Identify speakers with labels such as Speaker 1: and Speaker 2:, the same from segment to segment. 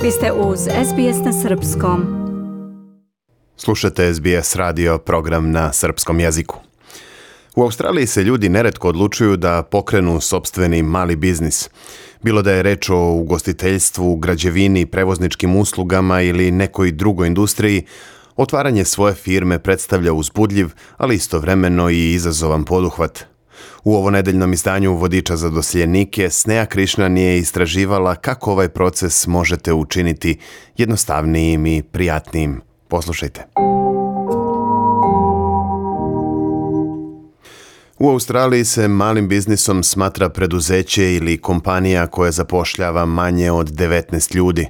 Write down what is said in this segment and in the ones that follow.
Speaker 1: Vi ste uz SBS na Srpskom.
Speaker 2: Slušate SBS radio, program na srpskom jeziku. U Australiji se ljudi neretko odlučuju da pokrenu sopstveni mali biznis. Bilo da je reč o ugostiteljstvu, građevini, prevozničkim uslugama ili nekoj drugoj industriji, otvaranje svoje firme predstavlja uzbudljiv, ali istovremeno i izazovan poduhvat. U ovonedeljnom izdanju Vodiča za doseljenike Snea Krišnan je istraživala kako ovaj proces možete učiniti jednostavnijim i prijatnijim. Poslušajte. U Australiji se malim biznisom smatra preduzeće ili kompanija koja zapošljava manje od 19 ljudi.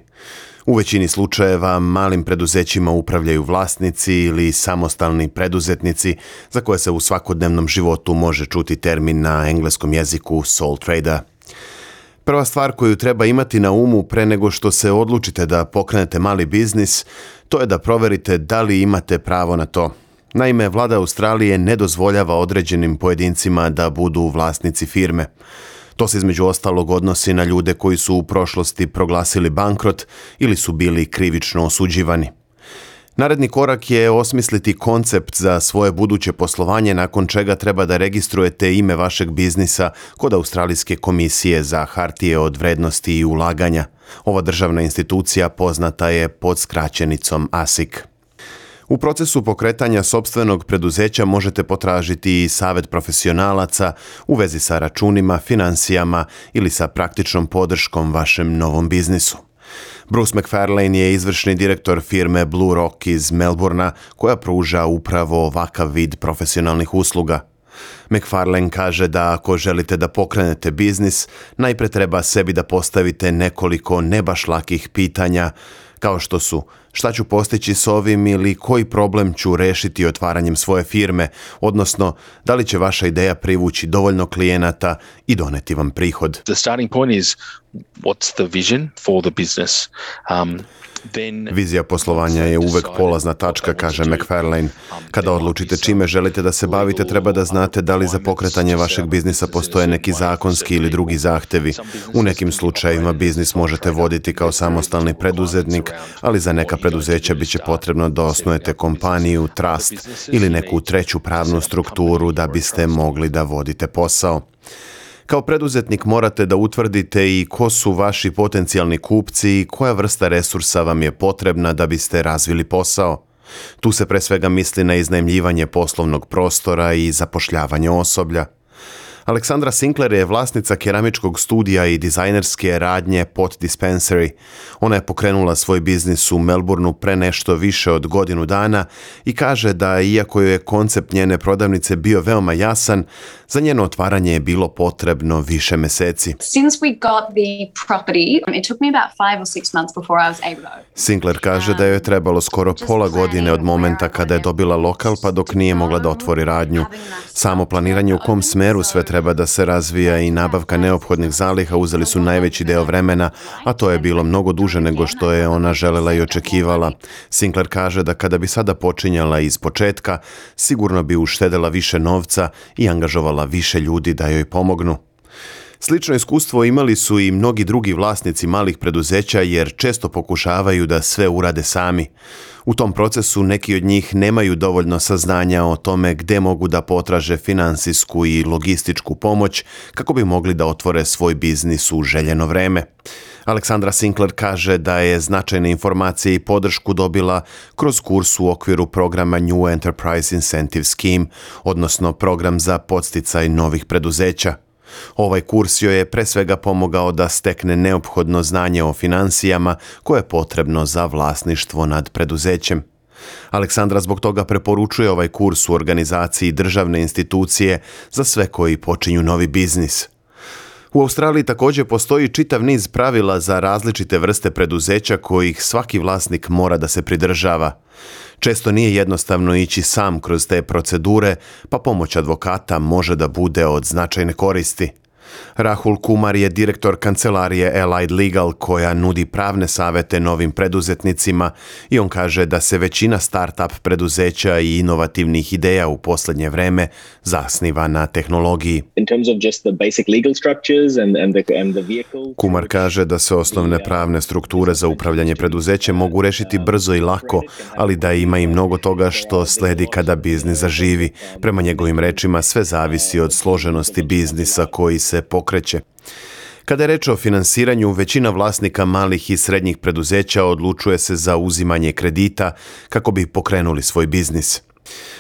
Speaker 2: U većini slučajeva malim preduzećima upravljaju vlasnici ili samostalni preduzetnici za koje se u svakodnevnom životu može čuti termin na engleskom jeziku sole trader. Prva stvar koju treba imati na umu pre nego što se odlučite da pokrenete mali biznis, to je da proverite da li imate pravo na to. Naime, vlada Australije ne dozvoljava određenim pojedincima da budu vlasnici firme. To se između ostalog odnosi na ljude koji su u prošlosti proglasili bankrot ili su bili krivično osuđivani. Naredni korak je osmisliti koncept za svoje buduće poslovanje, nakon čega treba da registrujete ime vašeg biznisa kod Australijske komisije za hartije od vrednosti i ulaganja. Ova državna institucija poznata je pod skraćenicom ASIC. U procesu pokretanja sopstvenog preduzeća možete potražiti i savjet profesionalaca u vezi sa računima, financijama ili sa praktičnom podrškom vašem novom biznisu. Bruce McFarlane je izvršni direktor firme Blue Rock iz Melbournea koja pruža upravo ovakav vid profesionalnih usluga. McFarlane kaže da ako želite da pokrenete biznis, najpre treba sebi da postavite nekoliko ne baš lakih pitanja, kao što su šta ću postići s ovim ili koji problem ću rešiti otvaranjem svoje firme, odnosno da li će vaša ideja privući dovoljno klijenata i doneti vam prihod.
Speaker 3: The starting point is what's the vision for the business.
Speaker 2: Vizija poslovanja je uvek polazna tačka, kaže McFarlane. Kada odlučite čime želite da se bavite, treba da znate da li za pokretanje vašeg biznisa postoje neki zakonski ili drugi zahtevi. U nekim slučajevima biznis možete voditi kao samostalni preduzetnik, ali za neka preduzeća biće potrebno da osnujete kompaniju, trust ili neku treću pravnu strukturu da biste mogli da vodite posao. Kao preduzetnik morate da utvrdite i ko su vaši potencijalni kupci i koja vrsta resursa vam je potrebna da biste razvili posao. Tu se pre svega misli na iznajmljivanje poslovnog prostora i zapošljavanje osoblja. Aleksandra Sinclair je vlasnica keramičkog studija i dizajnerske radnje Pot Dispensary. Ona je pokrenula svoj biznis u Melbourneu pre nešto više od godinu dana i kaže da iako joj je koncept njene prodavnice bio veoma jasan, za njeno otvaranje je bilo potrebno više meseci.
Speaker 4: Since we got the property, it took me about 5 or 6 months before I was able to open.
Speaker 2: Sinclair kaže da joj je trebalo skoro pola godine od momenta kada je dobila lokal pa dok nije mogla da otvori radnju. Samo planiranje u kom smeru sve treba da se razvija i nabavka neophodnih zaliha uzeli su najveći deo vremena, a to je bilo mnogo duže nego što je ona želela i očekivala. Sinclair kaže da kada bi sada počinjala iz početka, sigurno bi uštedela više novca i angažovala više ljudi da joj pomognu. Slično iskustvo imali su i mnogi drugi vlasnici malih preduzeća jer često pokušavaju da sve urade sami. U tom procesu neki od njih nemaju dovoljno saznanja o tome gde mogu da potraže finansijsku i logističku pomoć kako bi mogli da otvore svoj biznis u željeno vreme. Aleksandra Sinclair kaže da je značajne informacije i podršku dobila kroz kurs u okviru programa New Enterprise Incentive Scheme, odnosno program za podsticaj novih preduzeća. Ovaj kurs joj je pre svega pomogao da stekne neophodno znanje o finansijama koje je potrebno za vlasništvo nad preduzećem. Aleksandra zbog toga preporučuje ovaj kurs u organizaciji državne institucije za sve koji počinju novi biznis. U Australiji također postoji čitav niz pravila za različite vrste preduzeća kojih svaki vlasnik mora da se pridržava. Često nije jednostavno ići sam kroz te procedure, pa pomoć advokata može da bude od značajne koristi. Rahul Kumar je direktor kancelarije Allied Legal koja nudi pravne savete novim preduzetnicima i on kaže da se većina start-up preduzeća i inovativnih ideja u posljednje vreme zasniva na tehnologiji. Kumar kaže da se osnovne pravne strukture za upravljanje preduzećem mogu rešiti brzo i lako, ali da ima i mnogo toga što sledi kada biznis zaživi. Prema njegovim rečima sve zavisi od složenosti biznisa koji se pokreće. Kada je reč o finansiranju, većina vlasnika malih i srednjih preduzeća odlučuje se za uzimanje kredita kako bi pokrenuli svoj biznis.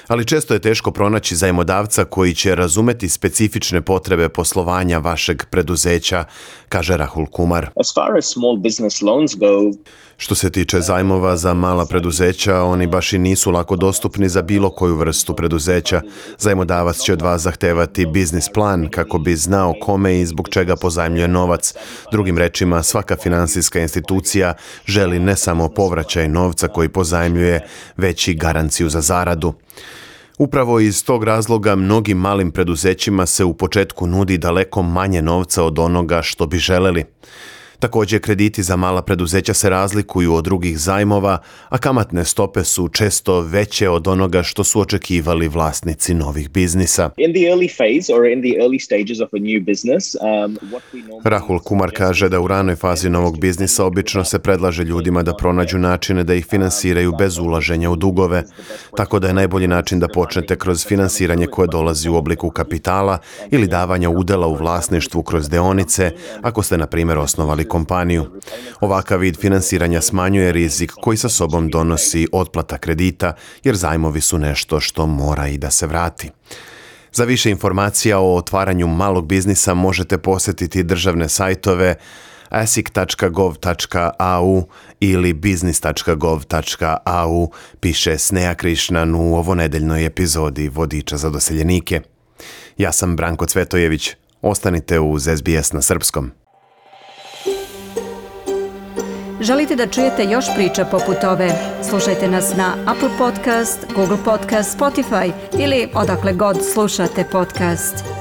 Speaker 2: Ali često je teško pronaći zajmodavca koji će razumeti specifične potrebe poslovanja vašeg preduzeća, kaže Rahul Kumar. Što se tiče zajmova za mala preduzeća, oni baš i nisu lako dostupni za bilo koju vrstu preduzeća. Zajmodavac će od vas zahtevati biznis plan kako bi znao kome i zbog čega pozajmljuje novac. Drugim rečima, svaka finansijska institucija želi ne samo povraćaj novca koji pozajmljuje, već i garanciju za zaradu. Upravo iz tog razloga mnogim malim preduzećima se u početku nudi daleko manje novca od onoga što bi želeli. Također, krediti za mala preduzeća se razlikuju od drugih zajmova, a kamatne stope su često veće od onoga što su očekivali vlasnici novih biznisa. Rahul Kumar kaže da u ranoj fazi novog biznisa obično se predlaže ljudima da pronađu načine da ih finansiraju bez ulaženja u dugove, tako da je najbolji način da počnete kroz finansiranje koje dolazi u obliku kapitala ili davanja udela u vlasništvu kroz deonice, ako ste, na primjer, osnovali kompaniju. Ovakav vid finansiranja smanjuje rizik koji sa sobom donosi otplata kredita, jer zajmovi su nešto što mora i da se vrati. Za više informacija o otvaranju malog biznisa možete posjetiti državne sajtove asic.gov.au ili business.gov.au, piše Sneha Krishnan u ovonedeljnoj epizodi Vodiča za doseljenike. Ja sam Branko Cvetojević. Ostanite uz SBS na srpskom.
Speaker 1: Želite da čujete još priča poput ove? Slušajte nas na Apple Podcast, Google Podcast, Spotify ili odakle god slušate podcast.